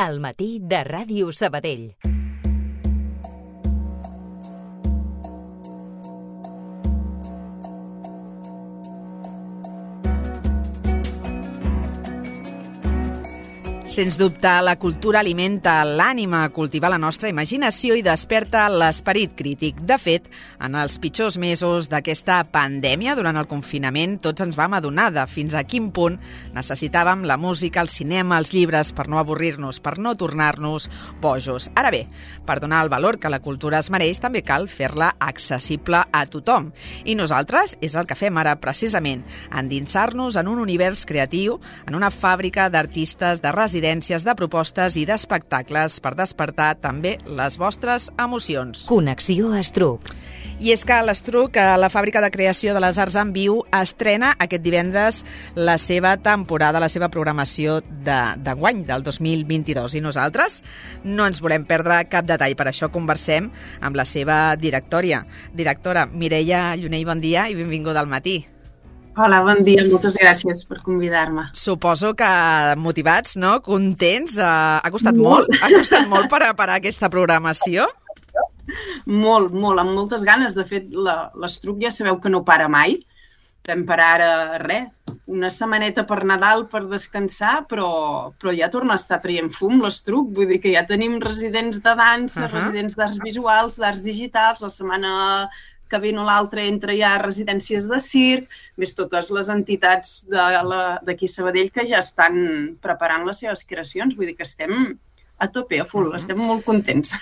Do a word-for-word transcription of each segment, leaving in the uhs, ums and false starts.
Al matí de Ràdio Sabadell. Sens dubte, la cultura alimenta l'ànima, cultiva la nostra imaginació i desperta l'esperit crític. De fet, en els pitjors mesos d'aquesta pandèmia, durant el confinament, tots ens vam adonar de fins a quin punt necessitàvem la música, el cinema, els llibres, per no avorrir-nos, per no tornar-nos bojos. Ara bé, per donar el valor que la cultura es mereix, també cal fer-la accessible a tothom. I nosaltres és el que fem ara, precisament, endinsar-nos en un univers creatiu, en una fàbrica d'artistes, de residències, de propostes i d'espectacles per despertar també les vostres emocions. Connexió Estruc. I és que l'Estruc, la fàbrica de creació de les arts en viu, estrena aquest divendres la seva temporada, la seva programació d'enguany, del dos mil vint-i-dos. I nosaltres no ens volem perdre cap detall. Per això conversem amb la seva directora. Directora, Mireia Llunell, bon dia i benvinguda al matí. Hola, bon dia, moltes gràcies per convidar-me. Suposo que motivats, no? Contents? Uh, ha costat molt? molt? Ha costat molt per a, per a aquesta programació? Molt, molt, amb moltes ganes. De fet, l'Estruc ja sabeu que no para mai. Vam parar ara, res, una setmaneta per Nadal per descansar, però, però ja torna a estar traient fum l'Estruc. Vull dir que ja tenim residents de dansa, uh-huh. residents d'arts visuals, d'arts digitals, la setmana que ve o l'altre entra ja a residències de circ, més totes les entitats d'aquí a Sabadell que ja estan preparant les seves creacions. Vull dir que estem a tope, a full, uh-huh. estem molt contents.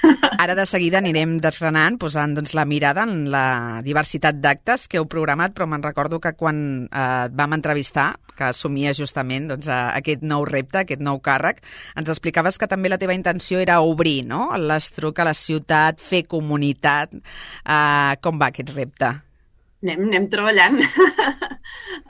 Ara de seguida anirem desgranant, posant doncs, la mirada en la diversitat d'actes que heu programat, però me'n recordo que quan eh, et vam entrevistar, que assumia justament doncs, aquest nou repte, aquest nou càrrec, ens explicaves que també la teva intenció era obrir, no?, l'Estruc a la ciutat, fer comunitat. Eh, com va aquest repte? Anem, anem treballant,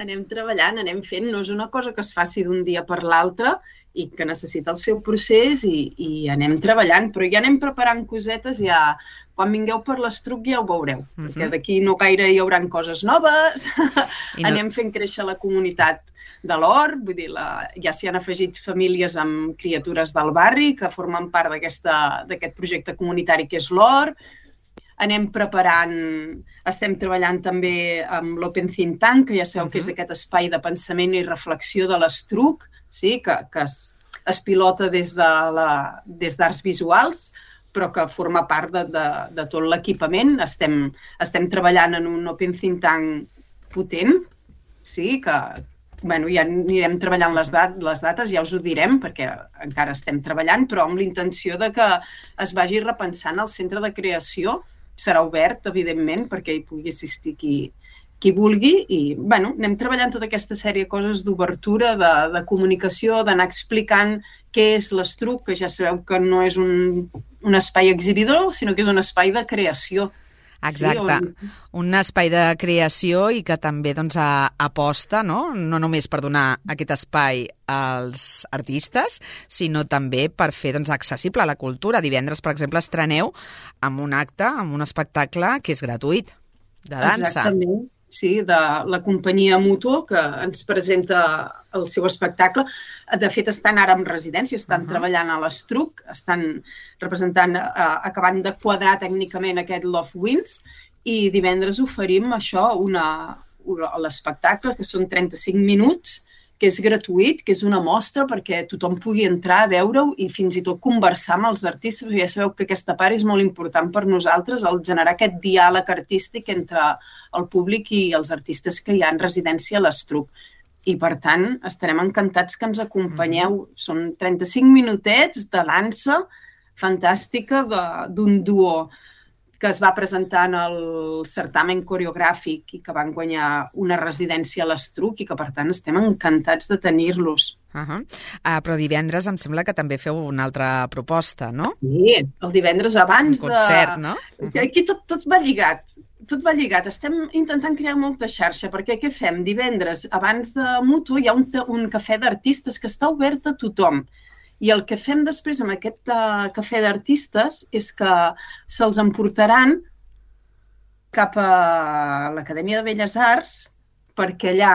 anem treballant, anem fent. No és una cosa que es faci d'un dia per l'altre i que necessita el seu procés i, i anem treballant, però ja anem preparant cosetes, ja quan vingueu per l'Estruc ja ho veureu, uh-huh. perquè d'aquí no gaire hi haurà coses noves, no... anem fent créixer la comunitat de l'Or, vull dir, la, ja s'hi han afegit famílies amb criatures del barri que formen part d'aquest projecte comunitari que és l'Or. Anem preparant, estem treballant també amb l'Open Think Tank, que ja sabeu uh-huh. que és aquest espai de pensament i reflexió de l'Estruc, sí? que, que es, es pilota des de la, des d'arts visuals, però que forma part de, de, de tot l'equipament. Estem, estem treballant en un Open Think Tank potent, sí? que bueno, ja anirem treballant les, dat les dates, ja us ho direm, perquè encara estem treballant, però amb l'intenció de que es vagi repensant el centre de creació. Serà obert, evidentment, perquè hi pugui assistir qui, qui vulgui i bueno, anem treballant tota aquesta sèrie de coses d'obertura, de, de comunicació, d'anar explicant què és l'Estruc, que ja sabeu que no és un, un espai exhibidor, sinó que és un espai de creació. Exacte, sí, on... un espai de creació i que també doncs, aposta, no? no només per donar aquest espai als artistes, sinó també per fer doncs, accessible la cultura. Divendres, per exemple, estreneu amb un acte, amb un espectacle que és gratuït, de dansa. Exactament. Sí, de la companyia Mutuo, que ens presenta el seu espectacle. De fet, estan ara en residència, estan uh-huh. treballant a l'Estruc, estan representant, eh, acabant de quadrar tècnicament aquest Love Wins, i divendres oferim això, una, una, l'espectacle, que són trenta-cinc minuts, que és gratuït, que és una mostra perquè tothom pugui entrar a veure-ho i fins i tot conversar amb els artistes. Ja sabeu que aquesta part és molt important per nosaltres, el generar aquest diàleg artístic entre el públic i els artistes que hi ha en residència a l'Estruc. I, per tant, estarem encantats que ens acompanyeu. Són trenta-cinc minutets de dansa fantàstica d'un duo que es va presentar en el certamen coreogràfic i que van guanyar una residència a l'Estruc i que, per tant, estem encantats de tenir-los. Uh-huh. uh, però divendres em sembla que també feu una altra proposta, no? Sí, el divendres abans de... Un concert, no? Uh-huh. Aquí tot, tot va lligat. Tot va lligat. Estem intentant crear molta xarxa, perquè què fem? Divendres, abans de Mutuo, hi ha un, un cafè d'artistes que està obert a tothom. I el que fem després amb aquest uh, cafè d'artistes és que se'ls emportaran cap a l'Acadèmia de Belles Arts perquè allà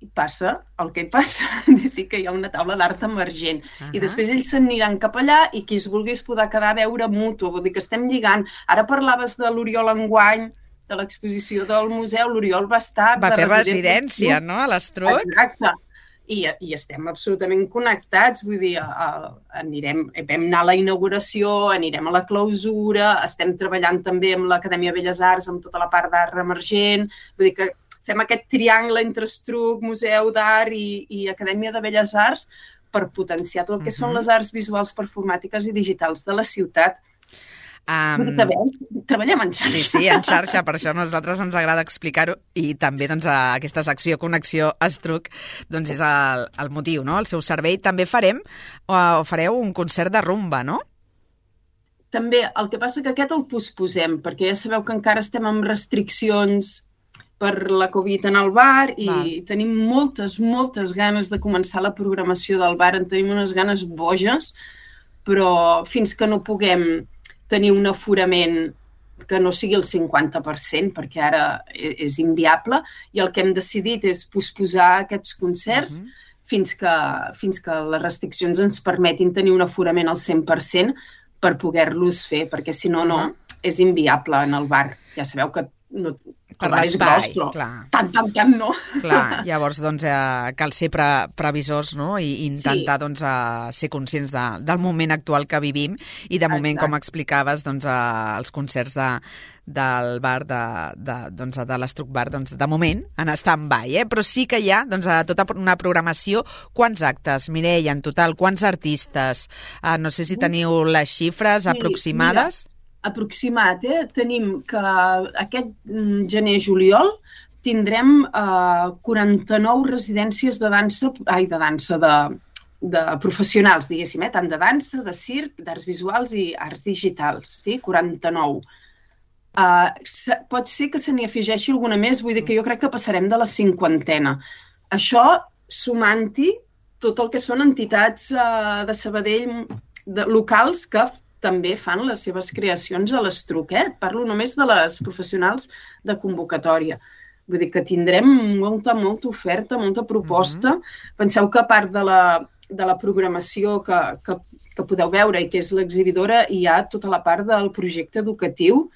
i passa el que passa, sí que hi ha una taula d'art emergent. Uh-huh. I després ells s'aniran cap allà i qui es vulgui es podrà quedar a veure mutu, vull dir que estem lligant. Ara parlaves de l'Oriol enguany, de l'exposició del museu, l'Oriol va estar... Va de fer residència, no?, a l'Estruc. Exacte. I, i estem absolutament connectats, vull dir, a, a, anirem, vam anar a la inauguració, anirem a la clausura, estem treballant també amb l'Acadèmia Belles Arts, amb tota la part d'art emergent, vull dir que fem aquest triangle entre Estruc, Museu d'Art i, i Acadèmia de Belles Arts per potenciar tot el que uh-huh. són les arts visuals, performàtiques i digitals de la ciutat. Um, Treballem en xarxa. Sí, sí, en xarxa, per això a nosaltres ens agrada explicar-ho i també doncs, aquesta secció Connexió Estruc doncs, és el, el motiu, no? El seu servei. També farem o fareu un concert de rumba, no? També, el que passa que aquest el posposem, perquè ja sabeu que encara estem amb restriccions per la Covid en el bar i Val. tenim moltes, moltes ganes de començar la programació del bar, en tenim unes ganes boges, però fins que no puguem tenir un aforament que no sigui el cinquanta per cent, perquè ara és inviable, i el que hem decidit és posposar aquests concerts uh-huh. fins que, fins que les restriccions ens permetin tenir un aforament al cent per cent per poder-los fer, perquè si no, no, uh-huh. és inviable en el bar. Ja sabeu que no, per l'espai, clar. Tant, tant, tant, no. Clar, llavors doncs, eh, cal ser pre previsors, no?, i intentar sí. doncs, eh, ser conscients de, del moment actual que vivim i de moment, Exacte. com explicaves, doncs, eh, els concerts de, del bar de, de, doncs, de l'Estruc Bar, doncs, de moment, en stand-by, eh? Però sí que hi ha doncs, tota una programació. Quants actes, Mireia, en total? Quants artistes? Eh, no sé si teniu les xifres sí, aproximades. Mira. Aproximat, eh? Tenim que aquest gener-juliol tindrem eh, quaranta-nou residències de dansa, ai, de dansa, de, de professionals, diguéssim, eh? Tant de dansa, de circ, d'arts visuals i arts digitals, sí? quaranta-nou. Eh, pot ser que se n'hi afegeixi alguna més, vull dir que jo crec que passarem de la cinquantena. Això sumant-hi tot el que són entitats eh, de Sabadell de, locals que també fan les seves creacions a l'Estruc, eh? Parlo només de les professionals de convocatòria. Vull dir que tindrem molta, molta oferta, molta proposta. Mm-hmm. Penseu que a part de la, de la programació que, que, que podeu veure i que és l'exhibidora, hi ha tota la part del projecte educatiu,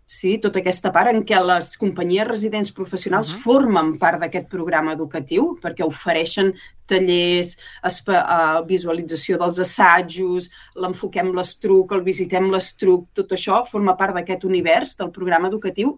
sí? Tota aquesta part en què les companyies residents professionals uh-huh. formen part d'aquest programa educatiu perquè ofereixen tallers, visualització dels assajos, l'enfoquem l'Estruc, el visitem l'Estruc, tot això forma part d'aquest univers del programa educatiu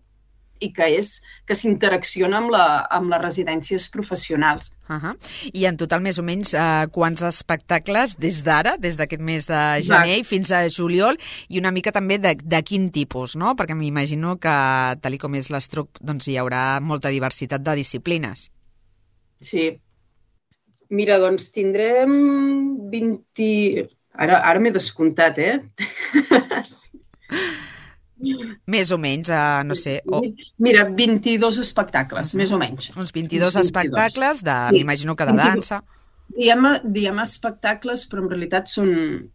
i que és que s'interacciona amb, la, amb les residències professionals. Uh-huh. I en total, més o menys, eh, quants espectacles des d'ara, des d'aquest mes de gener Va. fins a juliol, i una mica també de, de quin tipus, no? Perquè m'imagino que, tal com és l'Estruc, doncs hi haurà molta diversitat de disciplines. Sí. Mira, doncs tindrem vint... Ara, ara m'he descomptat, eh? Més o menys, uh, no sé... Oh. Mira, vint-i-dos espectacles, uh-huh. més o menys. Uns vint-i-dos espectacles, de, sí. m'imagino que de dansa. Diem, diem espectacles, però en realitat són,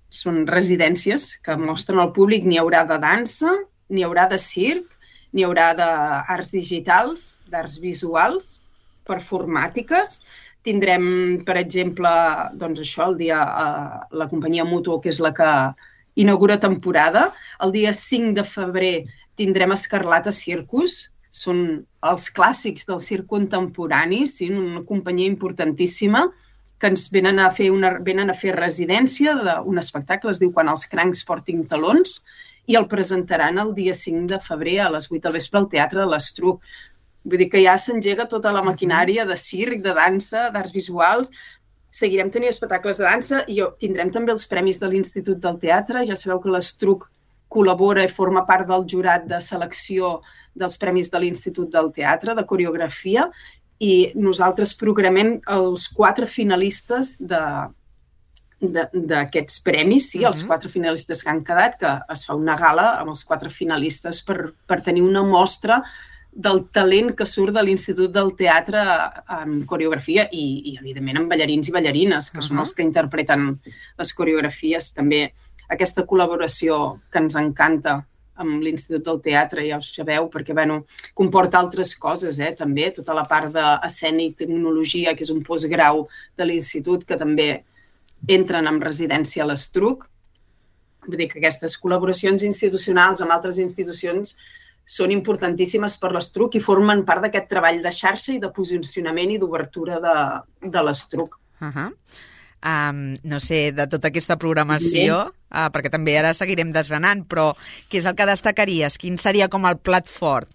són residències que mostren al públic. N'hi haurà de dansa, n'hi haurà de circ, n'hi haurà d'arts digitals, d'arts visuals, performàtiques. Tindrem, per exemple, doncs això, el dia, uh, la companyia Mutuo, que és la que inaugura temporada. El dia cinc de febrer tindrem Escarlata Circus. Són els clàssics del circ contemporani, sí? Una companyia importantíssima que ens venen a fer, una, venen a fer residència d'un espectacle, es diu Quan els crancs portin talons, i el presentaran el dia cinc de febrer a les vuit del vespre al Teatre de l'Estruc. Vull dir que ja s'engega tota la maquinària de circ, de dansa, d'arts visuals. Seguirem tenint espectacles de dansa i tindrem també els premis de l'Institut del Teatre. Ja sabeu que l'Estruc col·labora i forma part del jurat de selecció dels premis de l'Institut del Teatre, de coreografia, i nosaltres programem els quatre finalistes d'aquests premis, sí, uh-huh. els quatre finalistes que han quedat, que es fa una gala amb els quatre finalistes per, per tenir una mostra del talent que surt de l'Institut del Teatre en coreografia i, i evidentment, en ballarins i ballarines, que uh-huh. són els que interpreten les coreografies. També aquesta col·laboració que ens encanta amb l'Institut del Teatre, ja ho sabeu, perquè bueno, comporta altres coses, eh, també, tota la part d'escènic, tecnologia, que és un postgrau de l'Institut, que també entren en residència a l'Estruc. Vull dir que aquestes col·laboracions institucionals amb altres institucions són importantíssimes per l'Estruc i formen part d'aquest treball de xarxa i de posicionament i d'obertura de, de l'Estruc. Uh -huh. um, no sé, de tota aquesta programació, uh, perquè també ara seguirem desgranant, però què és el que destacaries? Quin seria com el plat fort?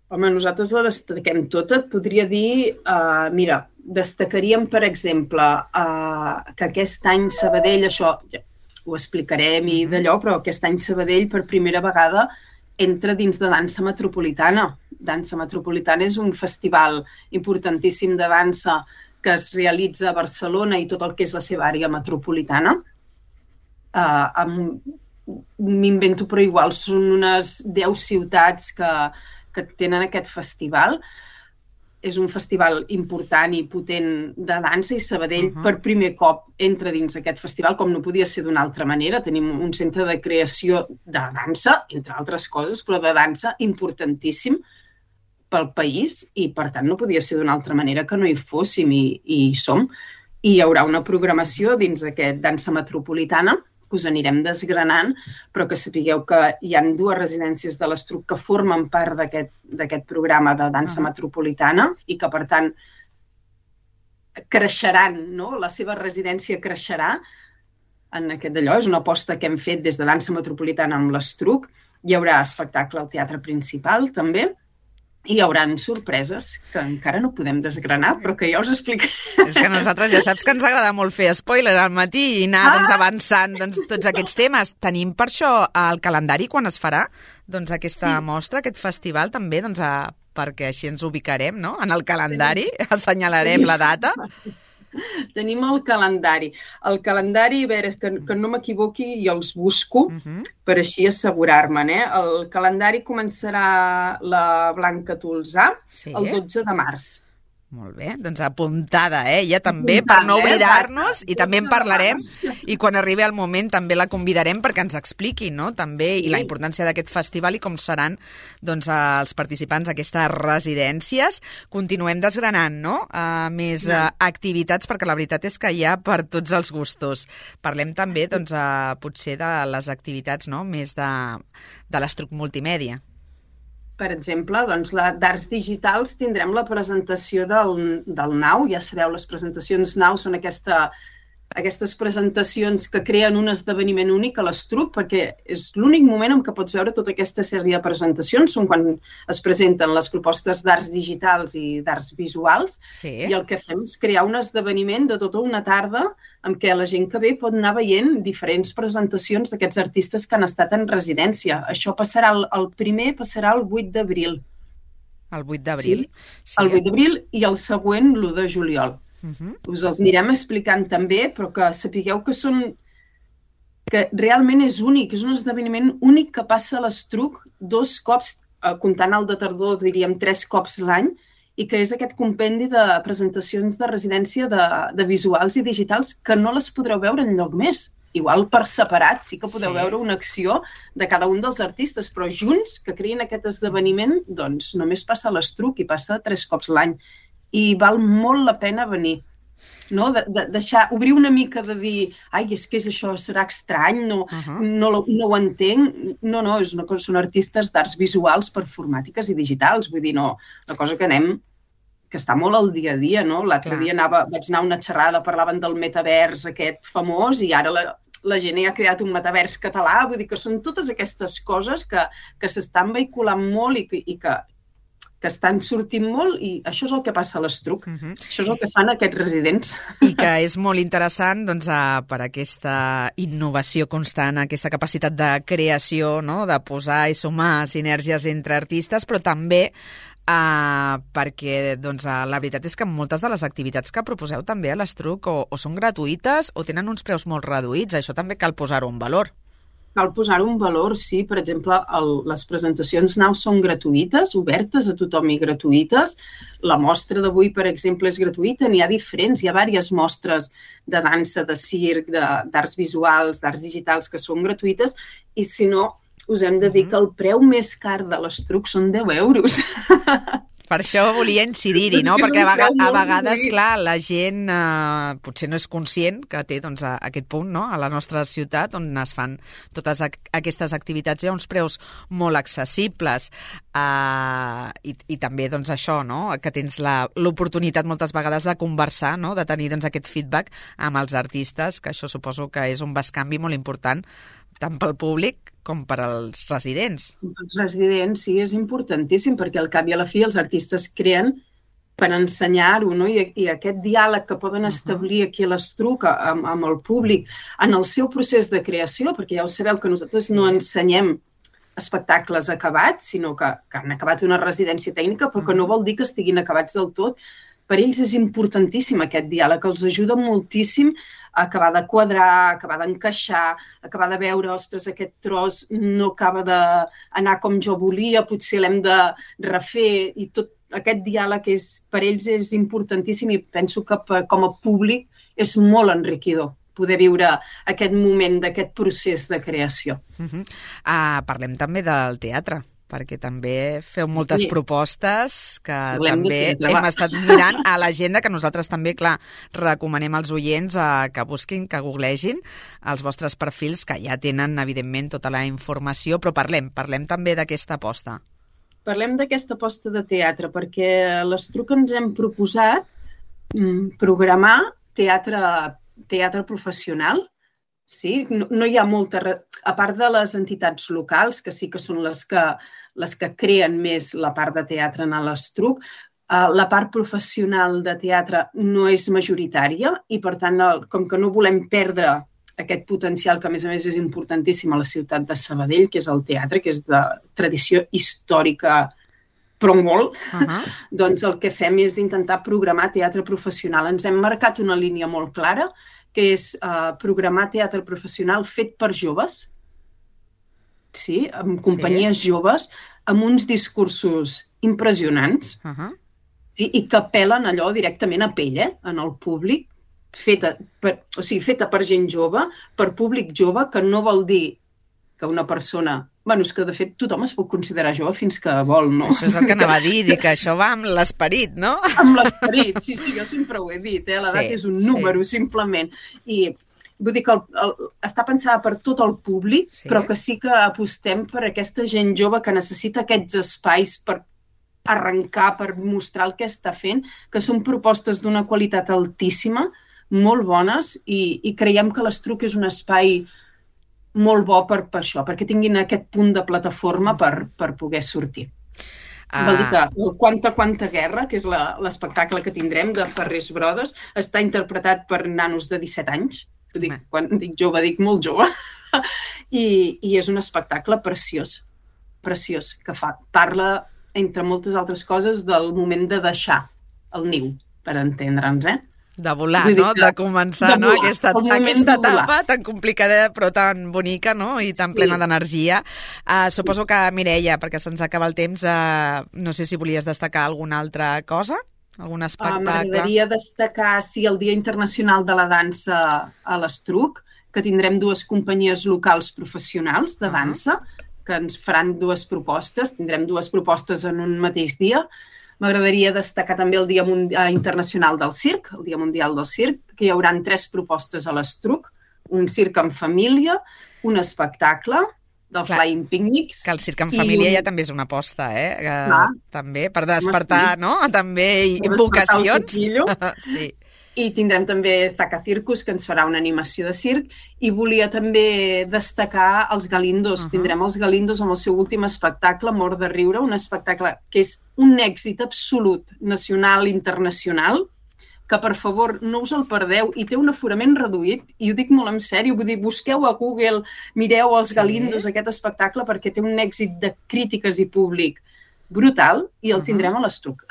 Home, nosaltres la destaquem tota. Et podria dir, uh, mira, destacaríem, per exemple, uh, que aquest any Sabadell, això ja ho explicarem i d'allò, però aquest any Sabadell per primera vegada entra dins de dansa metropolitana. Dansa metropolitana és un festival importantíssim de dansa que es realitza a Barcelona i tot el que és la seva àrea metropolitana. Uh, amb, m'invento, però igual són unes deu ciutats que, que tenen aquest festival. És un festival important i potent de dansa i Sabadell uh -huh. per primer cop entra dins aquest festival, com no podia ser d'una altra manera. Tenim un centre de creació de dansa, entre altres coses, però de dansa importantíssim pel país i, per tant, no podia ser d'una altra manera que no hi fóssim i, i hi som. I hi haurà una programació dins aquest dansa metropolitana que us anirem desgranant, però que sapigueu que hi ha dues residències de l'Estruc que formen part d'aquest programa de dansa uh -huh. metropolitana i que, per tant, creixeran, no? La seva residència creixerà en aquest d'allò. És una aposta que hem fet des de dansa metropolitana amb l'Estruc. Hi haurà espectacle al teatre principal, també, i hi haurà sorpreses que encara no podem desgranar, però que ja us explicaré. És que nosaltres ja saps que ens agrada molt fer spoiler al matí i anar ah! doncs, avançant doncs, tots aquests temes. Tenim per això el calendari quan es farà doncs, aquesta sí. mostra, aquest festival també, doncs, a, perquè així ens ubicarem, no? En el calendari, assenyalarem la data. Tenim el calendari. El calendari, a veure, que, que no m'equivoqui i els busco uh -huh. per així assegurar-me'n. Eh? El calendari començarà la Blanca Tolzà sí. el dotze de març. Molt bé, doncs apuntada, eh? Ja també, apuntada, per no oblidar-nos, eh? I també en parlarem, i quan arribi el moment també la convidarem perquè ens expliqui, no?, també, sí. i la importància d'aquest festival i com seran, doncs, els participants d'aquestes residències. Continuem desgranant, no?, uh, més uh, activitats, perquè la veritat és que hi ha per tots els gustos. Parlem també, doncs, uh, potser de les activitats, no?, més de, de l'Estruc Multimèdia. Per exemple, doncs, d'Arts Digitals tindrem la presentació del, del Nau. Ja sabeu, les presentacions Nau són aquesta, aquestes presentacions que creen un esdeveniment únic a l'Estruc, perquè és l'únic moment en què pots veure tota aquesta sèrie de presentacions, són quan es presenten les propostes d'arts digitals i d'arts visuals, sí. i el que fem és crear un esdeveniment de tota una tarda en què la gent que ve pot anar veient diferents presentacions d'aquests artistes que han estat en residència. Això passarà, el, el primer passarà el vuit d'abril. El vuit d'abril? Sí, el vuit d'abril i el següent l'u de juliol. Uh-huh. Us els anirem explicant també, però que sapigueu que són que realment és únic, és un esdeveniment únic que passa a l'Estruc dos cops, eh, comptant el de tardor, diríem tres cops l'any, i que és aquest compendi de presentacions de residència de, de visuals i digitals que no les podreu veure enlloc més. Igual per separat sí que podeu sí. veure una acció de cada un dels artistes, però junts, que creïn aquest esdeveniment, doncs només passa a l'Estruc i passa tres cops l'any. I val molt la pena venir. No? De, de, deixar, obrir una mica de dir ai, és que és això, serà estrany, no, uh-huh. no, no ho entenc. No, no, és una cosa, són artistes d'arts visuals, performàtiques i digitals. Vull dir, no, una cosa que anem, que està molt al dia a dia, no? L'altre dia anava, vaig anar a una xerrada, parlaven del metavers aquest famós i ara la, la gent ja ha creat un metavers català. Vull dir que són totes aquestes coses que, que s'estan vehiculant molt i que, i que que estan sortint molt i això és el que passa a l'Estruc. Uh-huh. Això és el que fan aquests residents. I que és molt interessant doncs, per aquesta innovació constant, aquesta capacitat de creació, no? De posar i sumar sinergies entre artistes, però també uh, perquè doncs, la veritat és que moltes de les activitats que proposeu també a l'Estruc o, o són gratuïtes o tenen uns preus molt reduïts. Això també cal posar-ho en valor. Cal posar-ho en valor, sí. Per exemple, el, les presentacions Nau són gratuïtes, obertes a tothom i gratuïtes. La mostra d'avui, per exemple, és gratuïta. N'hi ha diferents, hi ha diverses mostres de dansa, de circ, d'arts visuals, d'arts digitals que són gratuïtes i, si no, us hem de dir que el preu més car de l'estruc són deu euros. Per això volia incidir-hi, no? Perquè a, vegades, a vegades, clar, la gent eh, potser no és conscient que té doncs, a, aquest punt, no?, a la nostra ciutat, on es fan totes a, aquestes activitats a uns preus molt accessibles. Eh, i, I també, doncs, això, no?, que tens l'oportunitat moltes vegades de conversar, no?, de tenir doncs, aquest feedback amb els artistes, que això suposo que és un bescanvi molt important, tant pel públic com per als residents. Els residents, sí, és importantíssim, perquè al cap i a la fi els artistes creen per ensenyar-ho, no? I, i aquest diàleg que poden establir aquí a l'Estruc amb, amb el públic en el seu procés de creació, perquè ja ho sabeu que nosaltres no ensenyem espectacles acabats, sinó que, que han acabat una residència tècnica, però que no vol dir que estiguin acabats del tot. Per ells és importantíssim aquest diàleg, els ajuda moltíssim a acabar de quadrar, acabar d'encaixar, acabar de veure, ostres, aquest tros no acaba d'anar com jo volia, potser l'hem de refer, i tot aquest diàleg és, per ells és importantíssim, i penso que per, com a públic és molt enriquidor poder viure aquest moment d'aquest procés de creació. Uh-huh. uh, parlem també del teatre, perquè també feu moltes sí. propostes que Volem també teatre, hem estat mirant a l'agenda, que nosaltres també, clar, recomanem als oients a que busquin, que googlegin els vostres perfils, que ja tenen, evidentment, tota la informació, però parlem, parlem també d'aquesta aposta. Parlem d'aquesta aposta de teatre, perquè a l'Estruc ens hem proposat mm, programar teatre, teatre professional. Sí? No, no hi ha molta... A part de les entitats locals, que sí que són les que, les que creen més la part de teatre en l'Estruc, eh, la part professional de teatre no és majoritària i, per tant, el, com que no volem perdre aquest potencial, que a més a més és importantíssim a la ciutat de Sabadell, que és el teatre, que és de tradició històrica, però molt, uh-huh. doncs el que fem és intentar programar teatre professional. Ens hem marcat una línia molt clara, que és uh, programar teatre professional fet per joves, sí, amb companyies sí. joves, amb uns discursos impressionants, uh-huh. sí, i que apel·len allò directament a pell, eh, en el públic, feta per, o sigui, feta per gent jove, per públic jove, que no vol dir que una persona... Bueno, és que de fet tothom es pot considerar jove fins que vol, no? Això és el que anava a dir, dir que això va amb l'esperit, no? Amb l'esperit, sí, sí, jo sempre ho he dit, eh? L'edat sí, és un número, sí. simplement. I vull dir que el, el, està pensada per tot el públic, sí. però que sí que apostem per aquesta gent jove que necessita aquests espais per arrencar, per mostrar el que està fent, que són propostes d'una qualitat altíssima, molt bones, i, i creiem que l'Estruc és un espai molt bo per, per això, perquè tinguin aquest punt de plataforma per, per poder sortir. Uh... Vol dir que el Quanta Quanta Guerra, que és l'espectacle que tindrem de Ferrés Brothers, està interpretat per nanos de disset anys. Dic, quan dic jove, dic molt jove. I, I és un espectacle preciós, preciós, que fa, parla, entre moltes altres coses, del moment de deixar el niu, per entendre'ns, eh? De volar, no? De començar, de volar, no? Aquesta, aquesta etapa tan complicada però tan bonica, no? I tan plena sí. d'energia. Uh, suposo que, Mireia, perquè se'ns acaba el temps, uh, no sé si volies destacar alguna altra cosa? Algun espectacle? Uh, M'agradaria destacar, sí, el Dia Internacional de la Dansa a l'Estruc, que tindrem dues companyies locals professionals de dansa, uh-huh. que ens faran dues propostes, tindrem dues propostes en un mateix dia. M'agradaria destacar també el Dia Internacional del Circ, el Dia Mundial del Circ, que hi haurà tres propostes a l'Estruc, un circ en família, un espectacle del Clar, Flying Picnics... Que el circ en família un... ja també és una aposta, eh? Que, també, per despertar, sí. no? També vocacions. Sí. I tindrem també Zaca Circus, que ens farà una animació de circ, i volia també destacar els Galindos. Uh-huh. Tindrem els Galindos amb el seu últim espectacle, Mort de riure, un espectacle que és un èxit absolut, nacional i internacional, que per favor no us el perdeu, i té un aforament reduït, i ho dic molt en sèrio, vull dir, busqueu a Google, mireu els sí. Galindos, aquest espectacle, perquè té un èxit de crítiques i públic brutal, i el tindrem a l'Estruc.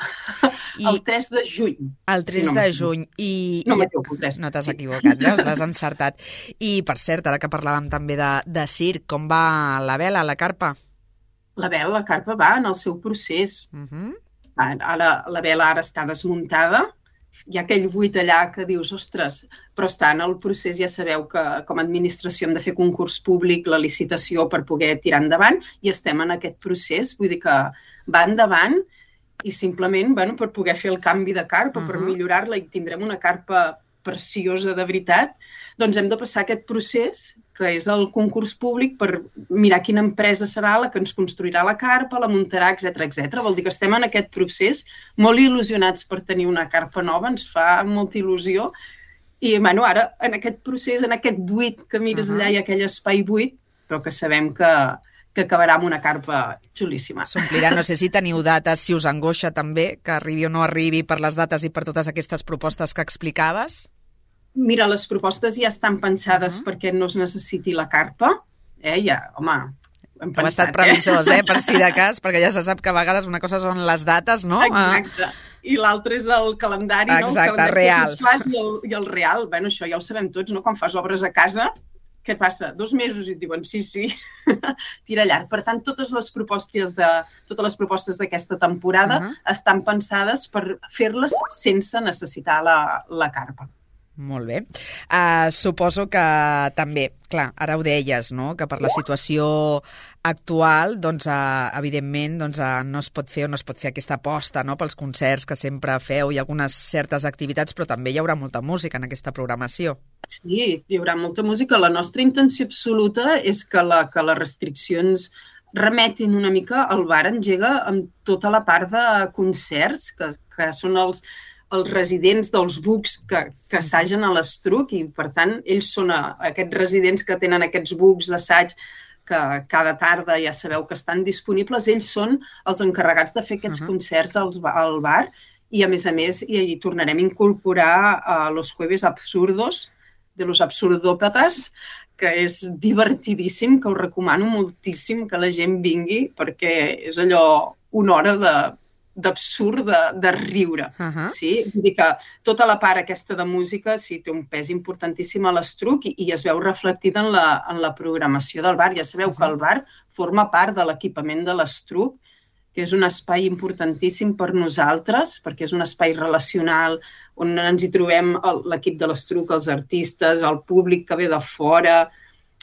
I el tres de juny. El tres si no de juny. I, no m'equivoco, tres. No t'has sí. equivocat, veus? L'has encertat. I, per cert, ara que parlàvem també de, de circ, com va la vela, la carpa? La vela, la carpa va en el seu procés. Uh-huh. Ara, la vela ara està desmuntada hi ha aquell buit allà que dius, ostres, però està en el procés, ja sabeu que com a administració hem de fer concurs públic, la licitació per poder tirar endavant, i estem en aquest procés, vull dir que va endavant i simplement bueno, per poder fer el canvi de carpa, uh-huh. per millorar-la i tindrem una carpa preciosa de veritat, doncs hem de passar aquest procés, que és el concurs públic, per mirar quina empresa serà la que ens construirà la carpa, la muntarà, etcètera, etcètera. Vol dir que estem en aquest procés, molt il·lusionats per tenir una carpa nova, ens fa molta il·lusió, i bueno, ara en aquest procés, en aquest buit que mires uh-huh. allà, hi ha aquell espai buit, però que sabem que, que acabarà amb una carpa xulíssima. S'omplirà, no sé si teniu dates, si us angoixa també, que arribi o no arribi per les dates i per totes aquestes propostes que explicaves? Mira, les propostes ja estan pensades uh-huh. perquè no es necessiti la carpa. Eh? Ja, home, hem pensat, Heu estat previsors, eh? Per si de cas, perquè ja se sap que a vegades una cosa són les dates, no? Exacte. I l'altre és el calendari, Exacte, no? El calendari real. que fas i el, i el real. Bueno, això ja ho sabem tots, no? Quan fas obres a casa, què passa? Dos mesos i et diuen sí, sí, tira llarg. Per tant, totes les propostes de totes les propostes d'aquesta temporada uh-huh. estan pensades per fer-les sense necessitar la, la carpa. Molt bé. Uh, suposo que també, clar, ara ho deies, no?, que per la situació actual, doncs, uh, evidentment, doncs, uh, no es pot fer o no es pot fer aquesta aposta, no?, pels concerts que sempre feu i algunes certes activitats, però també hi haurà molta música en aquesta programació. Sí, hi haurà molta música. La nostra intenció absoluta és que, la, que les restriccions remetin una mica al bar engega amb tota la part de concerts, que, que són els els residents dels bucs que, que assagen a l'Estruc i, per tant, ells són a, aquests residents que tenen aquests bucs d'assaig que cada tarda ja sabeu que estan disponibles, ells són els encarregats de fer aquests uh-huh. concerts als, al bar i, a més a més, hi, hi tornarem a incorporar a los jueves absurdos de los absurdópatas, que és divertidíssim, que us recomano moltíssim que la gent vingui perquè és allò una hora de d'absurd, de, de riure. Uh-huh. Sí? Vull dir que tota la part aquesta de música sí, té un pes importantíssim a l'Estruc i, i es veu reflectida en la, en la programació del bar. Ja sabeu uh-huh. que el bar forma part de l'equipament de l'Estruc, que és un espai importantíssim per nosaltres, perquè és un espai relacional on ens hi trobem l'equip de l'Estruc, els artistes, el públic que ve de fora.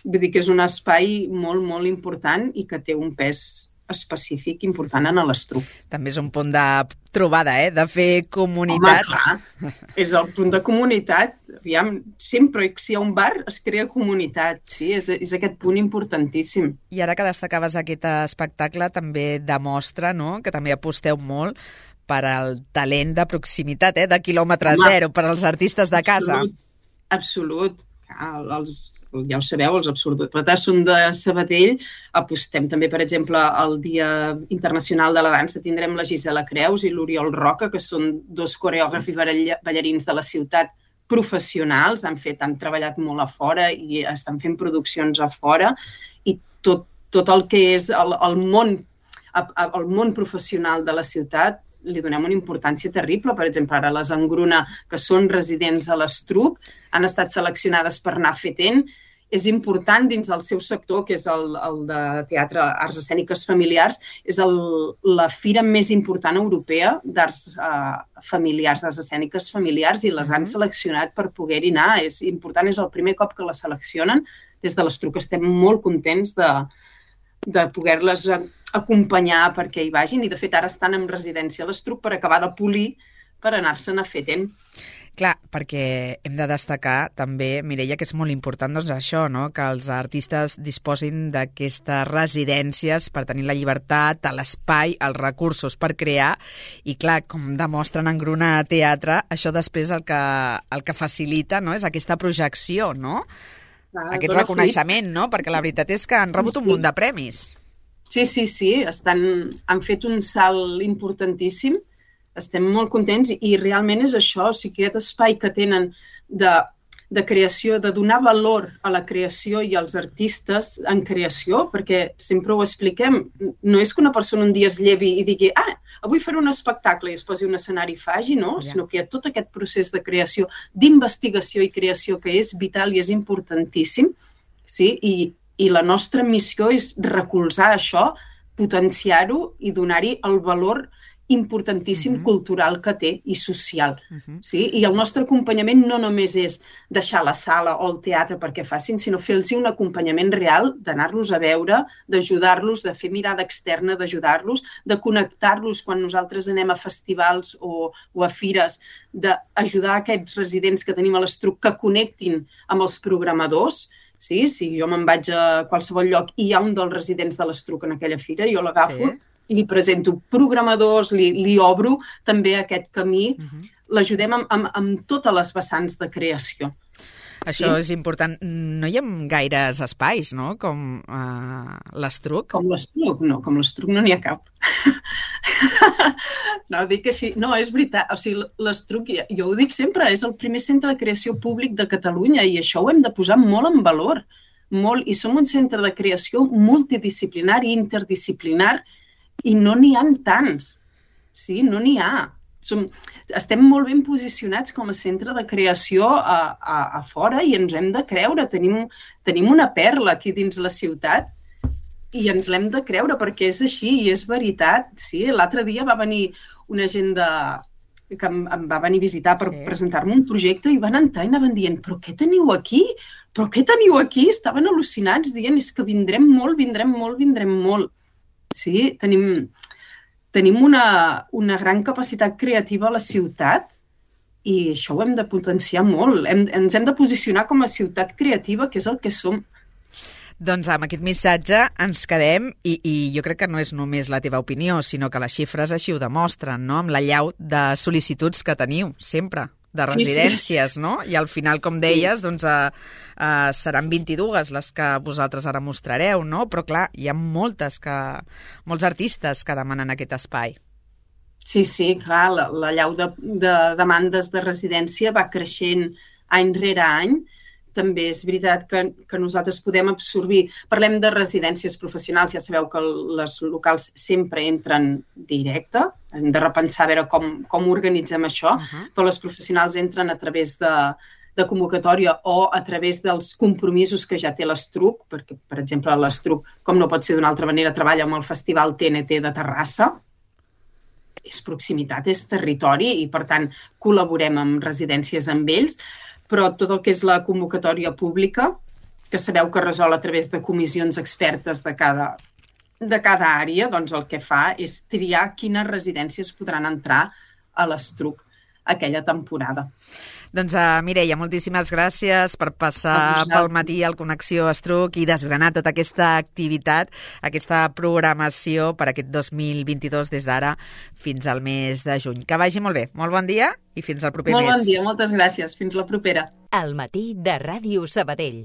Vull dir que és un espai molt, molt important i que té un pes específic important en l'Estruc. També és un punt de trobada, eh? De fer comunitat. Home, clar, és el punt de comunitat. Aviam, sempre si hi ha un bar es crea comunitat, sí? És, és aquest punt importantíssim. I ara que destacaves aquest espectacle també demostra, no?, que també aposteu molt per al talent de proximitat, eh? De quilòmetre Home, zero, per als artistes de casa. Absolut, absolut. Els, ja ho sabeu, els absurdòpatas són de Sabadell. Apostem també, per exemple, al Dia Internacional de la Dansa. Tindrem la Gisela Creus i l'Oriol Roca, que són dos coreògrafs i ballarins de la ciutat professionals. Han fet, han treballat molt a fora i estan fent produccions a fora. I tot, tot el que és el, el, món, el món professional de la ciutat li donem una importància terrible. Per exemple, ara les Engruna, que són residents a l'Estruc, han estat seleccionades per anar fetent. És important dins del seu sector, que és el, el de teatre, arts escèniques familiars, és el, la fira més important europea d'arts eh, familiars, d'arts escèniques familiars, i les han seleccionat per poder-hi anar. És important, és el primer cop que les seleccionen. Des de l'Estruc estem molt contents de, de poder-les acompanyar perquè hi vagin, i de fet ara estan en residència a l'Estruc per acabar de polir per anar-se'n a fetent. Clar, perquè hem de destacar també, Mireia, que és molt important doncs, això, no?, que els artistes disposin d'aquestes residències per tenir la llibertat, l'espai, els recursos per crear, i clar, com demostren en Gruna Teatre, això després el que, el que facilita, no?, és aquesta projecció, no?, ah, aquest reconeixement, no?, perquè la veritat és que han rebut sí, sí. un munt de premis. Sí, sí, sí, estan, han fet un salt importantíssim. Estem molt contents i realment és això, o sigui, aquest espai que tenen de, de creació, de donar valor a la creació i als artistes en creació, perquè sempre ho expliquem, no és que una persona un dia es llevi i digui ah, avui faré un espectacle i es posi un escenari i faci, no? Ja. Sinó que hi ha tot aquest procés de creació, d'investigació i creació que és vital i és importantíssim, sí? I, i la nostra missió és recolzar això, potenciar-ho i donar-hi el valor importantíssim uh-huh. cultural que té i social. Uh-huh. Sí? I el nostre acompanyament no només és deixar la sala o el teatre perquè facin, sinó fer-los un acompanyament real, d'anar-los a veure, d'ajudar-los, de fer mirada externa, d'ajudar-los, de connectar-los quan nosaltres anem a festivals o, o a fires, d'ajudar aquests residents que tenim a l'Estruc que connectin amb els programadors. Sí? Si jo me'n vaig a qualsevol lloc i hi ha un dels residents de l'Estruc en aquella fira, jo l'agafo, sí. Li presento programadors, li, li obro també aquest camí, uh-huh. l'ajudem amb, amb, amb totes les vessants de creació. Això sí? És important. No hi ha gaires espais, no?, com uh, l'Estruc. Com l'Estruc, no, com l'Estruc no n'hi ha cap. No, dic així, no, és veritat, o sigui, l'Estruc, jo ho dic sempre, és el primer centre de creació públic de Catalunya i això ho hem de posar molt en valor, molt, i som un centre de creació multidisciplinari, interdisciplinar, i no n'hi ha tants, sí, no n'hi ha. Som, estem molt ben posicionats com a centre de creació a, a, a fora i ens hem de creure. Tenim, tenim una perla aquí dins la ciutat i ens l'hem de creure perquè és així i és veritat. Sí? L'altre dia va venir una gent de, que em, em va venir a visitar per sí. presentar-me un projecte i van entrar i anaven dient però què teniu aquí? Però què teniu aquí? Estaven al·lucinats dient és que vindrem molt, vindrem molt, vindrem molt. Sí, tenim, tenim una, una gran capacitat creativa a la ciutat i això ho hem de potenciar molt. Hem, ens hem de posicionar com a ciutat creativa, que és el que som. Doncs amb aquest missatge ens quedem i, i jo crec que no és només la teva opinió, sinó que les xifres així ho demostren, no?, amb la llau de sol·licituds que teniu, sempre, de residències, sí, sí. no? I al final, com deies, doncs uh, uh, seran vint-i-dues les que vosaltres ara mostrareu, no? Però clar, hi ha moltes que, molts artistes que demanen aquest espai. Sí, sí, clar, la, la llau de, de demandes de residència va creixent any rere any. També és veritat que, que nosaltres podem absorbir... Parlem de residències professionals, ja sabeu que les locals sempre entren directe, hem de repensar a veure com, com organitzem això, uh-huh. però les professionals entren a través de, de convocatòria o a través dels compromisos que ja té l'Estruc, perquè, per exemple, l'Estruc, com no pot ser d'una altra manera, treballa amb el Festival T N T de Terrassa, és proximitat, és territori i, per tant, col·laborem amb residències amb ells, però tot el que és la convocatòria pública, que sabeu que resol a través de comissions expertes de cada, de cada àrea, doncs el que fa és triar quines residències podran entrar a l'Estruc aquella temporada. Doncs uh, Mireia, moltíssimes gràcies per passar pel matí al Connexió Estruc i desgranar tota aquesta activitat, aquesta programació per aquest dos mil vint-i-dos des d'ara fins al mes de juny. Que vagi molt bé, molt bon dia i fins al proper molt mes. Molt bon dia, moltes gràcies. Fins la propera. Al matí de Ràdio Sabadell.